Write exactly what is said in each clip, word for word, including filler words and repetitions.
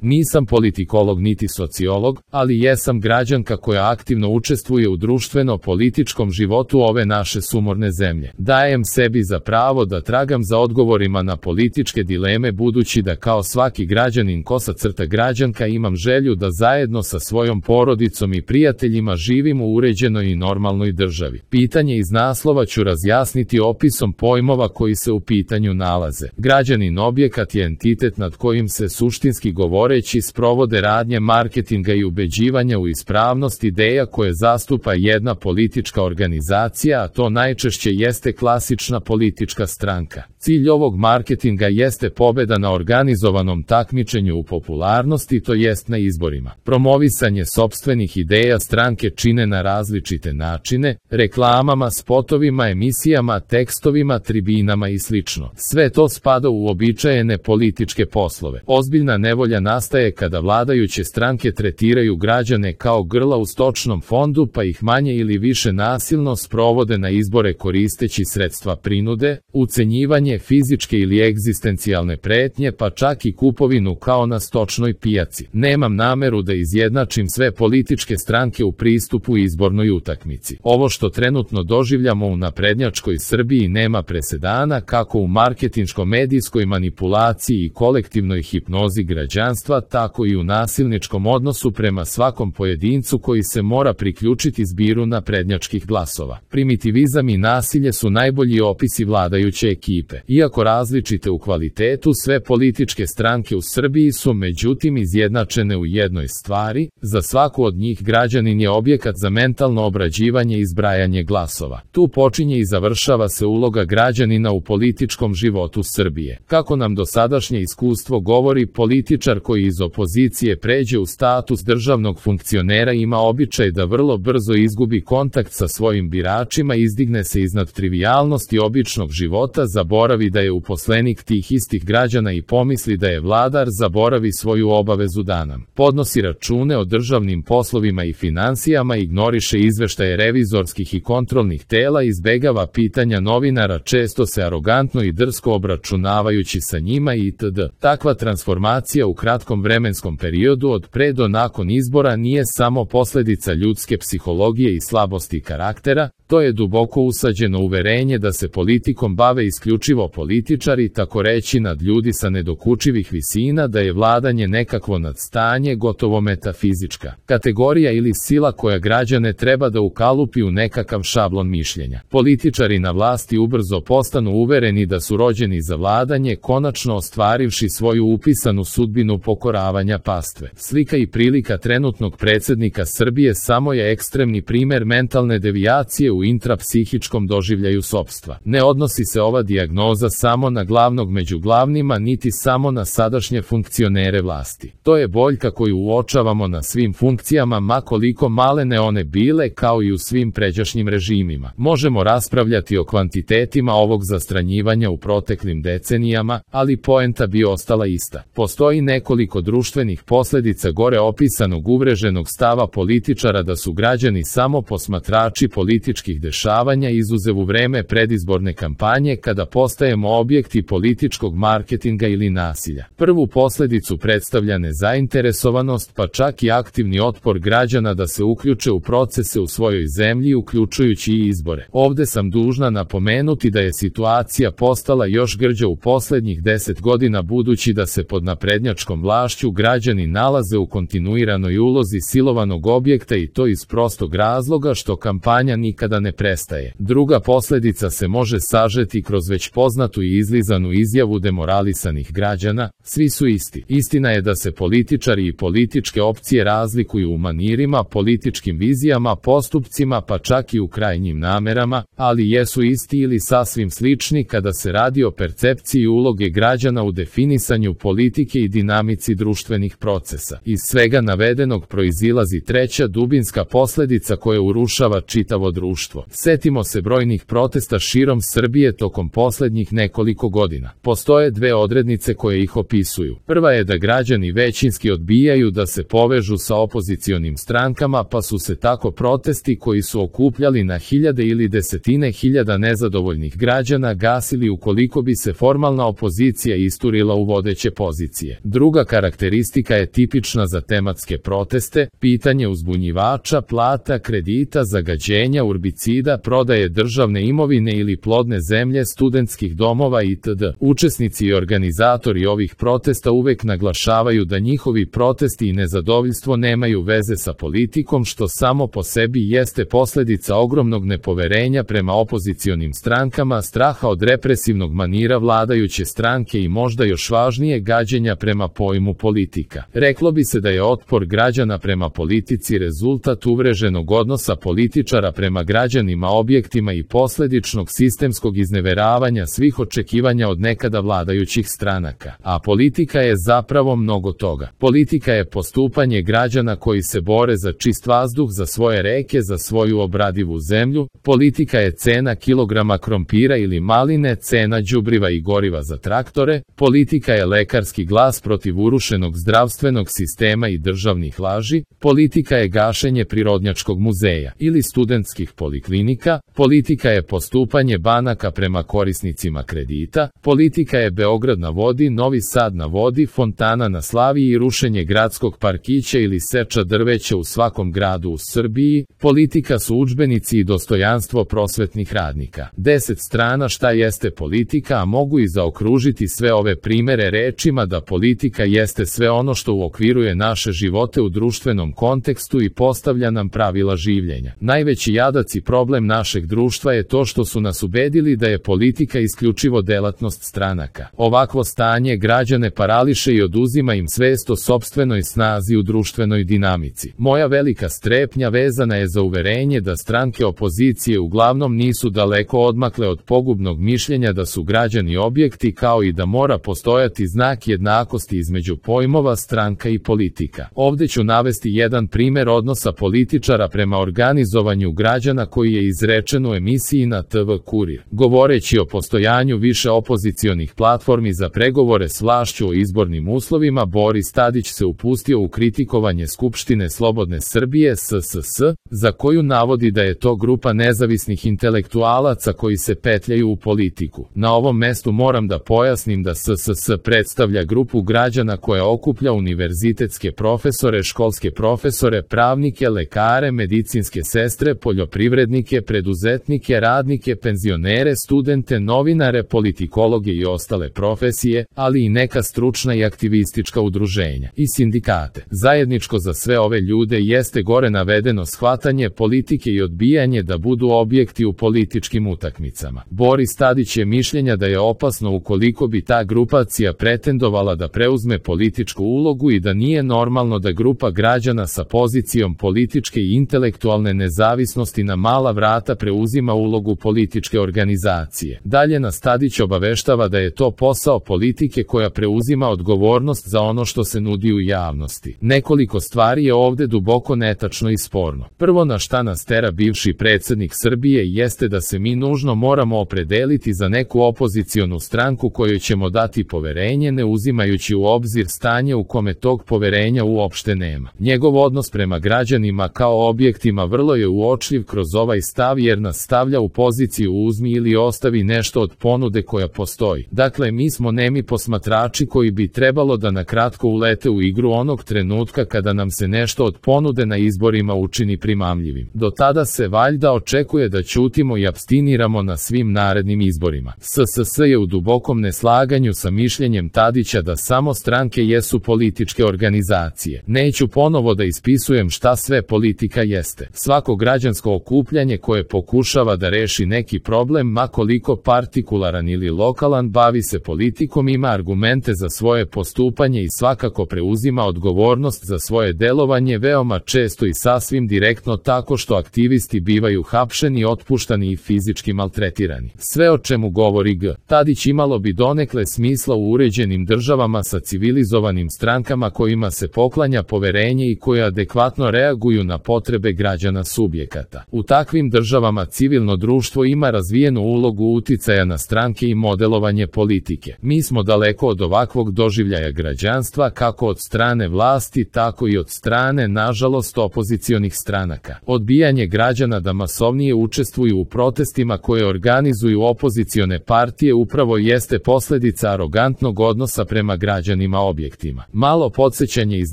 Nisam politikolog niti sociolog, ali jesam građanka koja aktivno učestvuje u društveno-političkom životu ove naše sumorne zemlje. Dajem sebi za pravo da tragam za odgovorima na političke dileme, budući da kao svaki građanin kosa crta građanka imam želju da zajedno sa svojom porodicom i prijateljima živim u uređenoj i normalnoj državi. Pitanje iz naslova ću razjasniti opisom pojmova koji se u pitanju nalaze. Građanin objekat je entitet nad kojim se suštinski govoreći sprovode radnje marketinga i ubeđivanja u ispravnost ideja koje zastupa jedna politička organizacija, a to najčešće jeste klasična politička stranka. Cilj ovog marketinga jeste pobeda na organizovanom takmičenju u popularnosti, to jest na izborima. Promovisanje sopstvenih ideja stranke čine na različite načine, reklamama, spotovima, emisijama, tekstovima, tribinama i slično. Sve to spada u uobičajene političke poslove. Ozbiljna nevolja nastaje kada vladajuće stranke tretiraju građane kao grla u stočnom fondu, pa ih manje ili više nasilno sprovode na izbore koristeći sredstva prinude, ucenjivanje, fizičke ili egzistencijalne pretnje, pa čak i kupovinu kao na stočnoj pijaci. Nemam nameru da izjednačim sve političke stranke u pristupu izbornoj utakmici. Ovo što trenutno doživljamo u naprednjačkoj Srbiji nema presedana kako u marketinško-medijskoj manipulaciji i kolektivnoj hipnozi građanstva, tako i u nasilničkom odnosu prema svakom pojedincu koji se mora priključiti zbiru naprednjačkih glasova. Primitivizam i nasilje su najbolji opisi vladajuće ekipe. Iako različite u kvalitetu, sve političke stranke u Srbiji su međutim izjednačene u jednoj stvari: za svaku od njih građanin je objekat za mentalno obrađivanje i zbrajanje glasova. Tu počinje i završava se uloga građanina u političkom životu Srbije. Kako nam dosadašnje iskustvo govori, političar koji iz opozicije pređe u status državnog funkcionera ima običaj da vrlo brzo izgubi kontakt sa svojim biračima, izdigne se iznad trivijalnosti običnog života, zaboravi da je uposlenik tih istih građana i pomisli da je vladar, zaboravi svoju obavezu da nam podnosi račune o državnim poslovima i finansijama, ignoriše izveštaje revizorskih i kontrolnih tela, izbegava pitanja novinara, često se arogantno i drsko obračunavajući sa njima itd. Takva transformacija u kratkom vremenskom periodu od pre do nakon izbora nije samo posljedica ljudske psihologije i slabosti karaktera, to je duboko usađeno uverenje da se politikom bave isključivo političari, tako reći nad ljudi sa nedokučivih visina, da je vladanje nekakvo nadstanje, gotovo metafizička kategorija ili sila koja građane treba da ukalupi u nekakav šablon mišljenja. Političari na vlasti ubrzo postanu uvereni da su rođeni za vladanje, konačno ostvarivši svoju upisanu sudbinu pokoravanja pastve. Slika i prilika trenutnog predsjednika Srbije samo je ekstremni primer mentalne devijacije u intrapsihičkom doživljaju sopstva. Ne odnosi se ova dijagnoza samo na glavnog među glavnima, niti samo na sadašnje funkcionere vlasti. To je boljka koju uočavamo na svim funkcijama, ma koliko malene one bile, kao i u svim pređašnjim režimima. Možemo raspravljati o kvantitetima ovog zastranjivanja u proteklim decenijama, ali poenta bi ostala ista. Postoji nekoliko društvenih posljedica gore opisanog uvreženog stava političara da su građani samo posmatrači političkih dešavanja, izuzev u vreme predizborne kampanje kada postajemo objekti političkog marketinga ili nasilja. Prvu posljedicu predstavlja nezainteresovanost, pa čak i aktivni otpor građana da se uključe u procese u svojoj zemlji, uključujući i izbore. Ovde sam dužna napomenuti da je situacija postala još grđa u posljednjih deset godina, budući da se pod naprednjačkom vlašću građani nalaze u kontinuiranoj ulozi silovanog objekta, i to iz prostog razloga što kampanja nikada ne prestaje. Druga posljedica se može sažeti kroz već poznatu i izlizanu izjavu demoralisanih građana: svi su isti. Istina je da se političari i političke opcije razlikuju u manirima, političkim vizijama, postupcima, pa čak i u krajnjim namerama, ali jesu isti ili sasvim slični kada se radi o percepciji uloge građana u definisanju politike i dinamici društvenih procesa. Iz svega navedenog proizilazi treća dubinska posljedica koja urušava čitavo društvo. društvo. Setimo se brojnih protesta širom Srbije tokom poslednjih nekoliko godina. Postoje dve odrednice koje ih opisuju. Prva je da građani većinski odbijaju da se povežu sa opozicionim strankama, pa su se tako protesti koji su okupljali na hiljade ili desetine hiljada nezadovoljnih građana gasili ukoliko bi se formalna opozicija isturila u vodeće pozicije. Druga karakteristika je tipična za tematske proteste, pitanje uzbunjivača, plata, kredita, zagađenja, urbicida, prodaje državne imovine ili plodne zemlje, studentskih domova itd. Učesnici i organizatori ovih protesta uvek naglašavaju da njihovi protesti i nezadovoljstvo nemaju veze sa politikom, što samo po sebi jeste posledica ogromnog nepoverenja prema opozicionim strankama, straha od represivnog manira vladajuće stranke i možda još važnije gađenja prema pojmu politika. Reklo bi se da je otpor građana prema politici rezultat uvreženog odnosa političara prema građanima, objektima i posledičnog sistemskog izneveravanja svih očekivanja od nekada vladajućih stranaka. A politika je zapravo mnogo toga. Politika je postupanje građana koji se bore za čist vazduh, za svoje reke, za svoju obradivu zemlju. Politika je cena kilograma krompira ili maline, cena đubriva i goriva za traktore. Politika je lekarski glas protiv urušenog zdravstvenog sistema i državnih laži. Politika je gašenje Prirodnjačkog muzeja ili studentskih poliklinika. Politika je postupanje banaka prema korisnicima kredita. Politika je Beograd na vodi, Novi Sad na vodi, fontana na Slaviji i rušenje gradskog parkića ili seča drveća u svakom gradu u Srbiji. Politika su udžbenici i dostojanstvo prosvetnih radnika. Deset strana šta jeste politika, a mogu i zaokružiti sve ove primere rečima da politika jeste sve ono što uokviruje naše živote u društvenom kontekstu i postavlja nam pravila življenja. Najveći jadac i problem našeg društva je to što su nas ubedili da je politika isključivo delatnost stranaka. Ovakvo stanje građane parališe i oduzima im svest o sopstvenoj snazi u društvenoj dinamici. Moja velika strepnja vezana je za uverenje da stranke opozicije uglavnom nisu daleko odmakle od pogubnog mišljenja da su građani objekti, kao i da mora postojati znak jednakosti između pojmova stranka i politika. Ovde ću navesti jedan primer odnosa političara prema organizovanju građana koji je izrečen u emisiji na te ve Kurir. Govoreći o postojanju više opozicionih platformi za pregovore s vlašću o izbornim uslovima, Boris Tadić se upustio u kritikovanje Skupštine Slobodne Srbije S S S, za koju navodi da je to grupa nezavisnih intelektualaca koji se petljaju u politiku. Na ovom mestu moram da pojasnim da S S S predstavlja grupu građana koja okuplja univerzitetske profesore, školske profesore, pravnike, lekare, medicinske sestre, poljoprivrednike, preduzetnike, radnike, penzionere, studente, novinare, politikologe i ostale profesije, ali i neka stručna i aktivistička udruženja i sindikate. Zajedničko za sve ove ljude jeste gore navedeno shvatanje politike i odbijanje da budu objekti u političkim utakmicama. Boris Tadić je mišljenja da je opasno ukoliko bi ta grupacija pretendovala da preuzme političku ulogu i da nije normalno da grupa građana sa pozicijom političke i intelektualne nezavisnosti na mala vrata preuzima ulogu političke organizacije. Dalje nas Tadić obaveštava da je to posao politike koja preuzima odgovornost za ono što se nudi u javnosti. Nekoliko stvari je ovde duboko netačno i sporno. Prvo na šta nas tera bivši predsjednik Srbije jeste da se mi nužno moramo opredeliti za neku opozicionu stranku kojoj ćemo dati poverenje, ne uzimajući u obzir stanje u kome tog poverenja uopšte nema. Njegov odnos prema građanima kao objektima vrlo je uočljiv kroz ovaj stav jer nas stavlja u poziciju uzmi ili ostavi nešto od ponude koja postoji. Dakle, mi smo nemi posmatrači koji bi trebalo da na kratko ulete u igru onog trenutka kada nam se nešto od ponude na izborima učini primamljivim. Do tada se valjda očekuje da ćutimo i apstiniramo na svim narednim izborima. S S S je u dubokom neslaganju sa mišljenjem Tadića da samo stranke jesu političke organizacije. Neću ponovo da ispisujem šta sve politika jeste. Svako građansko okupljanje koje pokušava da reši neki problem, ma koliko partikularan ili lokalan, bavi se politikom, ima argumente za svoje postupanje i svakako preuzima odgovornost za svoje delovanje, veoma često i sasvim direktno tako što aktivisti bivaju hapšeni, otpuštani i fizički maltretirani. Sve o čemu govori G. Tadić imalo bi donekle smisla u uređenim državama sa civilizovanim strankama kojima se poklanja poverenje i koje adekvatno reaguju na potrebe građana subjekata. U takvim državama civilno društvo ima razvijenu ulogu uticaja na stranke i modelovanje politike. Mi smo daleko od ovakvog doživljaja građanstva kako od strane vlasti, tako i od strane, nažalost, opozicionih stranaka. Odbijanje građana da masovnije učestvuju u protestima koje organizuju opozicione partije upravo jeste posljedica arogantnog odnosa prema građanima objektima. Malo podsjećanje iz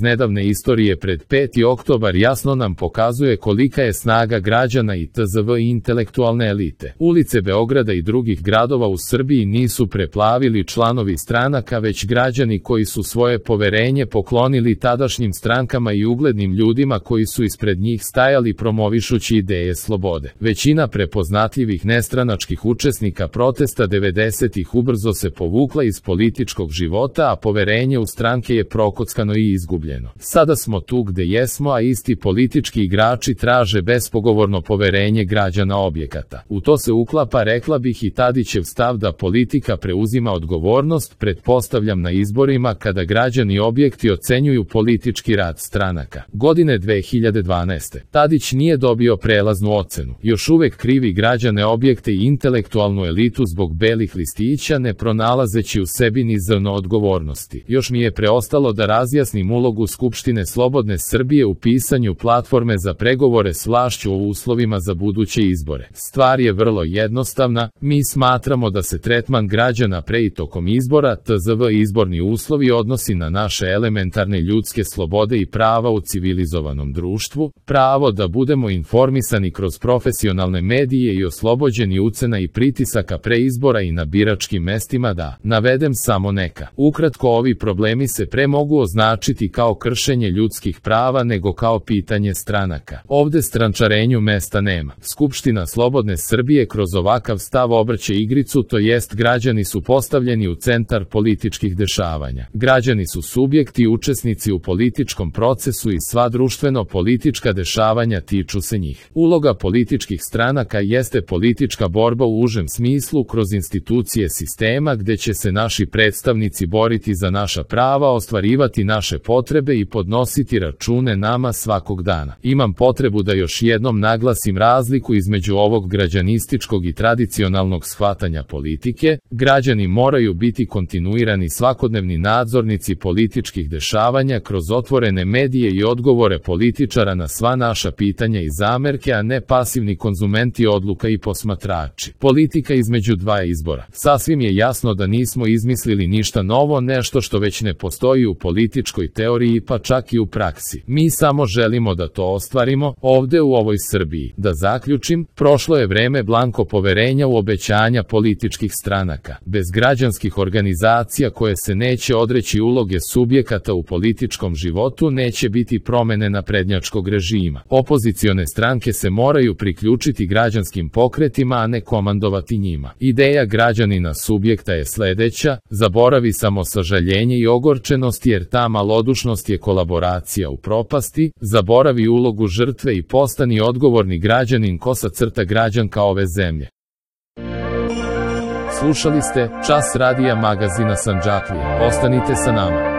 nedavne istorije pred peti oktobar jasno nam pokazuje kolika je snaga građana i tzv. Intelektualne elite. Ulice Beograda i drugih gradova u Srbiji nisu preplavili članovi stranaka, već građani koji su svoje poverenje poklonili tadašnjim strankama i uglednim ljudima koji su ispred njih stajali promovišući ideje slobode. Većina prepoznatljivih nestranačkih učesnika protesta devedesetih ubrzo se povukla iz političkog života, a poverenje u stranke je prokockano i izgubljeno. Sada smo tu gde jesmo, a isti politički igrači traže bespogovorno poverenje građana objekata. U to se uklapa, rekla bih, i Tadićev stav da politika preuzima odgovornost, pretpostavljam na izborima kada građani objekti ocenjuju politički rad stranaka. Godine dve hiljade dvanaeste. Tadić nije dobio prelaznu ocenu. Još uvek krivi građane objekte i intelektualnu elitu zbog belih listića, ne pronalazeći u sebi ni zrno odgovornosti. Još mi je preostalo da razjasnim ulogu Skupštine Slobodne Srbije u pisanju platforme za pregovore s vlašću o uslovima za buduće izbore. Stvar je vrlo jednostavna, mi smatramo da se tretman građana pre i tokom izbora, tzv. izborni uslovi, odnosi na naše elementarne ljudske slobode i prava u civilizovanom društvu, pravo da budemo informisani kroz profesionalne medije i oslobođeni ucena i pritisaka pre izbora i na biračkim mestima, da navedem samo neka. Ukratko, ovi problemi se pre mogu označiti kao kršenje ljudskih prava nego kao pitanje stranaka. Ovde strančarenju mesta nema. Skupština Slobodne Srbije kroz ovakav stav obrće igricu, to jest građani su postavljeni u centar političkih dešavanja. Građani su subjekti i učesnici u političkom procesu i sva društveno-politička dešavanja tiču se njih. Uloga političkih stranaka jeste politička borba u užem smislu kroz institucije sistema gde će se naši predstavnici boriti za naša prava, ostvarivati naše potrebe i podnositi račune nama svakog dana. Imam potrebu da još jednom naglasim razliku između ovog građanističkog i tradicionalnog shvatanja politike. Građani moraju biti kontinuirani svakodnevni nadzornici političkih dešavanja kroz otvorene medije i odgovore političara na sva naša pitanja i zamerke, a ne pasivni konzumenti odluka i posmatrači. Politika između dva izbora. Sasvim je jasno da nismo izmislili ništa novo, nešto što već ne postoji u političkoj teoriji, pa čak i u praksi. Mi samo želimo da to ostvarimo ovde u ovoj Srbiji. Da zaključim, prošlo je vreme blanko poverenja u obećanja političkih stranaka. Bez građanskih organizacija koje se neće odreći uloge subjekata u političkom životu, neće biti promene naprednjačkog režima. Opozicione stranke se moraju priključiti građanskim pokretima, a ne komandovati njima. Ideja građanina subjekta je sledeća: zaboravi samo sažaljenje i ogorčenost, jer ta malodušnost je kolaboracija u propasti, zaboravi ulogu žrtve i postani odgovorni građanin, kosa crta građanka ove zemlje. Slušali ste Čas radija magazina Sandžaklija. Ostanite sa nama.